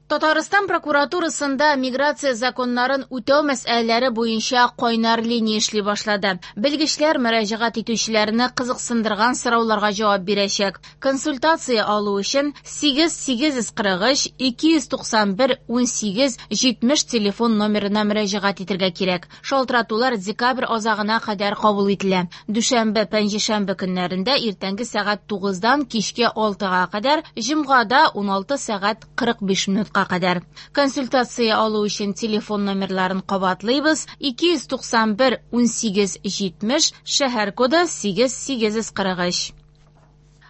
Татарстан прокуратурасында миграция законнарын үтәү мәсьәләләре буенча кайнар линия эшли башлады. Белгечләр мөрәҗәгать итүчеләрне кызыксындырган сорауларга җавап бирәчәк. Консультация алу өчен 8 843 291 18 70 телефон номерына мөрәҗәгать итәргә кирәк. Шалтыратулар декабрь азагына кадәр кабул ителә. Дүшәмбе, пәнҗешәмбе көннәрендә иртәнге сәгать 9-дан кичке 6-га кадәр, җомгада 16 сәгать 45 минутка кадәр. Консультация алу өчен телефон номерларын кабатлыйбыз: 291 18 70, шәһәр коды 8 843.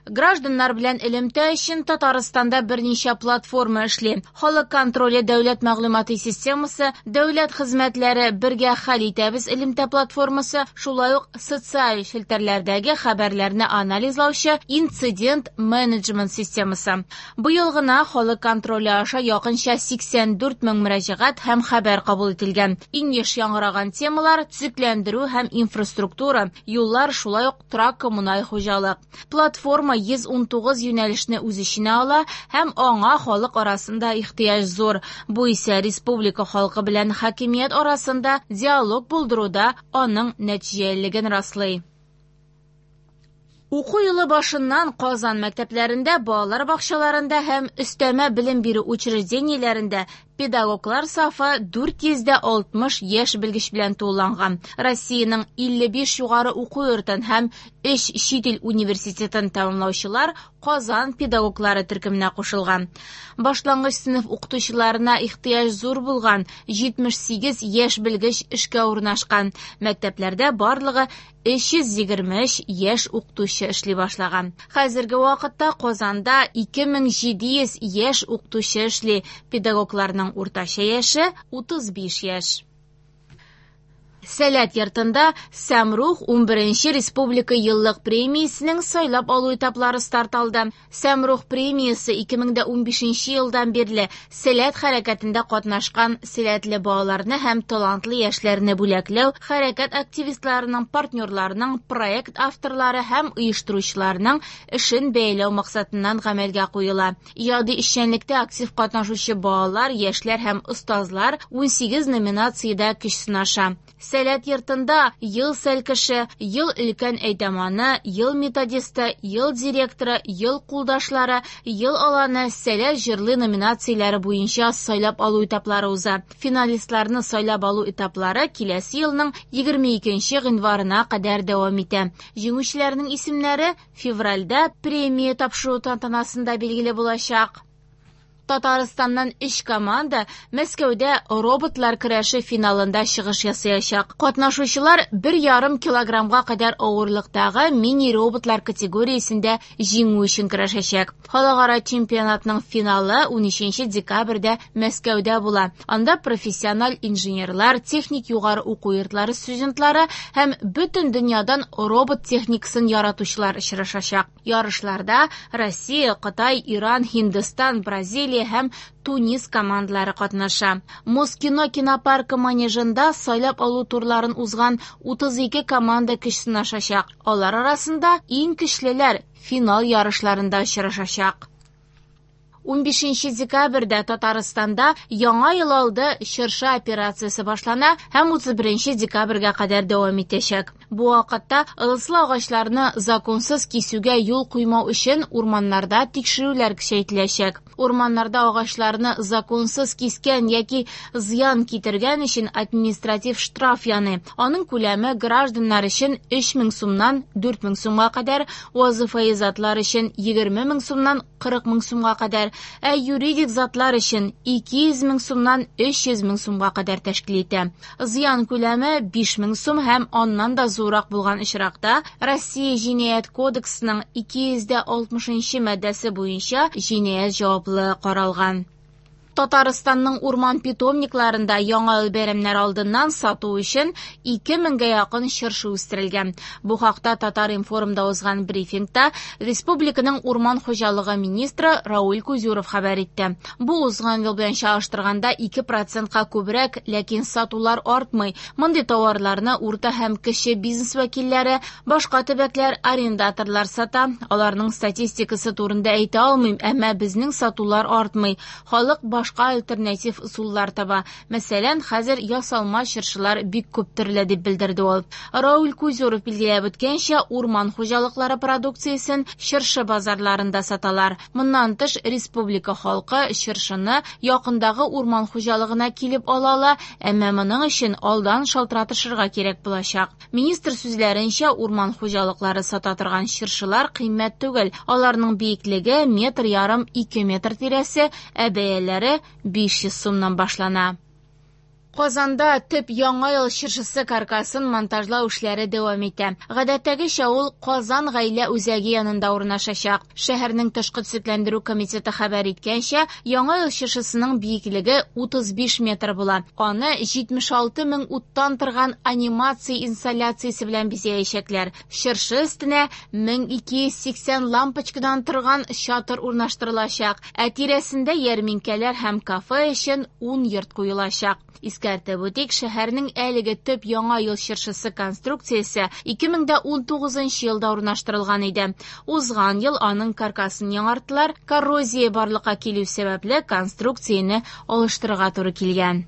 Гражданнар белән элемтә өчен Татарстанда берничә платформа эшли. Халык контроле дәүләт мәгълүмати системасы, дәүләт хезмәтләре бергә хәл итәбез элемтә платформасы, шулай ук социаль челтәрләрдәге хәбәрләрне анализлаучы инцидент менеджмент системасы. Быел гына халык контроле аша якынча 84 мең мөрәҗәгать һәм хәбәр кабул ителгән. Иң еш яңгыраган темалар төзекләндерү һәм инфраструктура, юллар, шулай ук торак-коммуналь хуҗалык. Платформа 119 юнәлешне үз эченә ала һәм аңа халык арасында ихтыяҗ зур. Бу исә республика халкы белән хакимият арасында диалог булдыруда аның нәтиҗәлелеген раслый. Уку елы башыннан Казан мәктәпләрендә, балалар бакчаларында һәм өстәмә белем бирү учреждениеләрендә педагоглар сафы 460 яшь белгеч белән тулыланган. Россиянең 55 югары уку йортын һәм 3 чит ил университетын тәмамлаучылар Казан педагоглары төркеменә кушылган. Башлангыч сыйныф укытучыларына ихтыяҗ зур булган 78 яшь белгеч эшкә урнашкан. Мәктәпләрдә барлыгы 323 яшь укытучы эшли башлаган. Хәзерге вакытта Казанда 2700 яшь укытучы эшли. Педагогларның уртача яше 35 яшь. Сәләт йортында Сәмрух 11нче республика еллык премиясенең сайлап алу этаплары старт алды. Сәмрух премиясе 2015 елдан бирле Сәләт хәрәкәтендә катнашкан сәләтле балаларны һәм талантлы яшьләрне бүләкләү, хәрәкәт активистларының, партнерларының, проект авторлары һәм оештыручыларының эшен бәяләү максатыннан гамәлгә куела. Иҗади эшчәнлектә актив катнашучы балалар, яшьләр һәм остазлар 18 номинациядә көч сынаша. Сәләт йортында ел сәлкеше, ел өлкән әйдаманы, ел методисты, ел директоры, ел кулдашлары, ел аланы, Сәләт җырлый номинацияләре буенча сайлап алу этаплары уза. Финалистларны сайлап алу этаплары киләсе елның 22 гыйнварына кадәр дәвам итә. Җиңүчеләрнең исемнәре февральдә премия тапшыру тантанасында билгеле булачак. Татарстаннан 3 команда Мәскәүдә роботлар көрәше финалында чыгыш ясаячак. Катнашучылар 1,5 килограммга кадәр авырлыктагы мини-роботлар категориясендә җиңү өчен көрәшәчәк. Халыкара чемпионатның финалы 13 декабрьдә Мәскәүдә була. Анда профессиональ инженерлар, техник югары уку йортлары студентлары һәм бөтен дөньядан робот техникасын яратучылар очрашачак. Ярышларда Россия, Кытай, Иран, Һиндстан, Бразилия һәм Тунис командалары катнаша. Москино кинопаркы манежында сайлап алу турларын узган 32 команда көч сынашачак. Алар арасында иң көчлеләр финал ярышларында очрашачак. 15 декабрьдә Татарстанда Яңа ел алды чыршы операциясе башлана һәм 31 декабрьгә кадәр дәвам итәчәк. Бу вакытта ылыслы агачларны законсыз кисүгә юл куймау өчен урманнарда тикшерүләр көчәйтеләчәк. Урманнарда агачларны законсыз кискән яки зыян китергән өчен административ штраф яный. Аның күләме гражданнар өчен 3000 сумнан 4000 сумга кадәр, вазыйфаи затлар өчен 20000 сумнан 40000 сумга кадәр, ә юридик затлар өчен 200 мең сумнан 300 мең сумга кадәр тәшкил итә. Зыян күләме 5000 сум һәм аннан да зуррак булган очракта Россия Җинаять кодексының 260 маддәсе буенча җинаять җаваплылыгы каралган. Татарстанның урман питомникларында яңа ел бәйрәмнәре алдыннан сату өчен 2000гә якын чыршы үстерелгән. Бу хакта Татар-информда узган брифингта республиканың урман хуҗалыгы министры Рауль Кузюров хәбәр итте. Бу узган ел белән чагыштырганда 2%ка күбрәк, ләкин сатулар артмый. Мондый товарларны урта һәм кече бизнес вәкилләре, башка төбәкләр, арендаторлар сата. Аларның статистикасы турында әйтә алмыйм, әмма безнең сатулар артмый. Халык баш башка альтернатив ысуллар таба. Мәсәлән, хәзер ясалма чыршылар бик күп төрле, дип белдерде ул. Рауль Кузюров билгеләп үткәнчә, урман хуҗалыклары продукциясен чыршы базарларында саталар. Моннан тыш, республика халкы чыршыны якындагы урман хуҗалыгына килеп ала ала, әмма моның өчен алдан шалтыратышырга кирәк булачак. Министр сүзләренчә, урман хуҗалыклары сата торган чыршылар кыйммәт түгел. Аларның биеклеге метр ярым ике метр тирәсе, ә бәяләре 500 сумнан башлана. Казанда төп Яңа ел чыршысы каркасын монтажлау эшләре дәвам итә. Гадәттәгечә ул Казан гаилә үзәге янында урнашачак. Шәһәрнең тышкы төзекләндерү комитеты хәбәр иткәнчә, Яңа ел чыршысының биеклеге 35 метр була. Аны 76 мең уттан торган анимация инсталляциясе белән бизәячәкләр. Чыршы өстенә 1280 лампочкадан торган чатыр урнаштырылачак, ә тирәсендә ярминкәләр һәм кафе өчен 10 йорт куелачак. Искәртеп үтик, шәһәрнең әлеге төп Яңа ел чыршысы конструкциясе 2019 елда урнаштырылган иде. Узган ел аның каркасын яңарттылар, коррозия барлыкка килү сәбәпле конструкцияне алыштырырга туры килгән.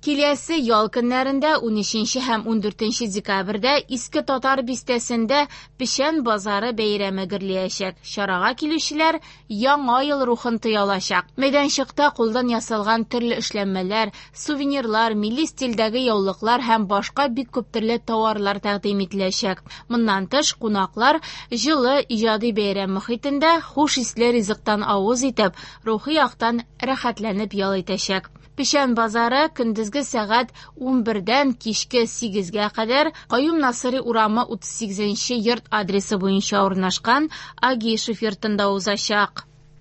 Киләсе ял көннәрендә 13 һәм 14 декабрьдә Иске Татар бистәсендә Печән базары бәйрәме гөрләячәк. Чарага килүчеләр Яңа ел рухын тоя алачак. Мәйданчыкта кулдан ясалган төрле эшләнмәләр, сувенирлар, милли стильдәге яулыклар һәм башка бик күп төрле тауарлар тәкъдим ителәчәк. Моннан тыш, кунаклар җылы иҗади бәйрәм мохитендә хуш исле ризыктан авыз итеп, рухи яктан рәхәтләнеп ял итәчәк. Печән базары көндезге сәгать 11-дән кичке 8-гә кадәр Каюм Насыйри урамы 38 нче йорт адресы буенча урнашкан Агишев йортында узачак.